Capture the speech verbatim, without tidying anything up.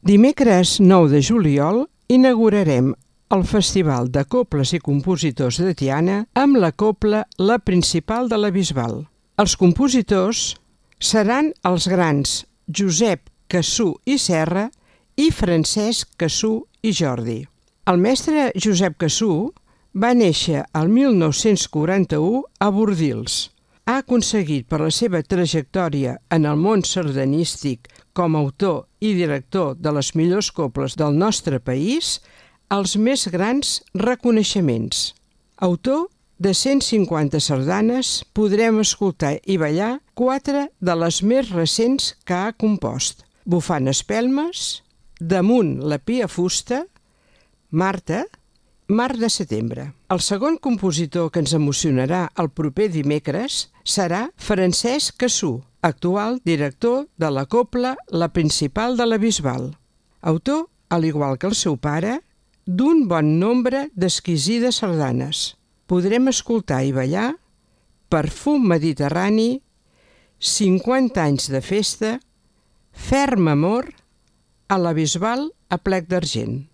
Dimecres nou de juliol inaugurarem el Festival de Cobles i Compositors de Tiana amb la cobla La Principal de la Bisbal. Els compositors seran els grans Josep Cassú i Serra i Francesc Cassú i Jordi. El mestre Josep Cassú va néixer el mil nou-cents quaranta-u a Bordils. Ha aconseguit per la seva trajectòria en el món sardanístic com a autor i director de les millors cobles del nostre país els més grans reconeixements. Autor de cent cinquanta sardanes, podrem escoltar i ballar quatre de les més recents que ha compost: Bufant espelmes, Damunt la pia fusta, Marta, Mar de setembre. El segon compositor que ens emocionarà el proper dimecres serà Francesc Cassú, actual director de la cobla La Principal de la Bisbal. Autor, al igual que el seu pare, d'un bon nombre d'exquisides sardanes. Podrem escoltar i ballar Perfum mediterrani, cinquanta anys de festa, Ferm amor, a la Bisbal a plec d'argent.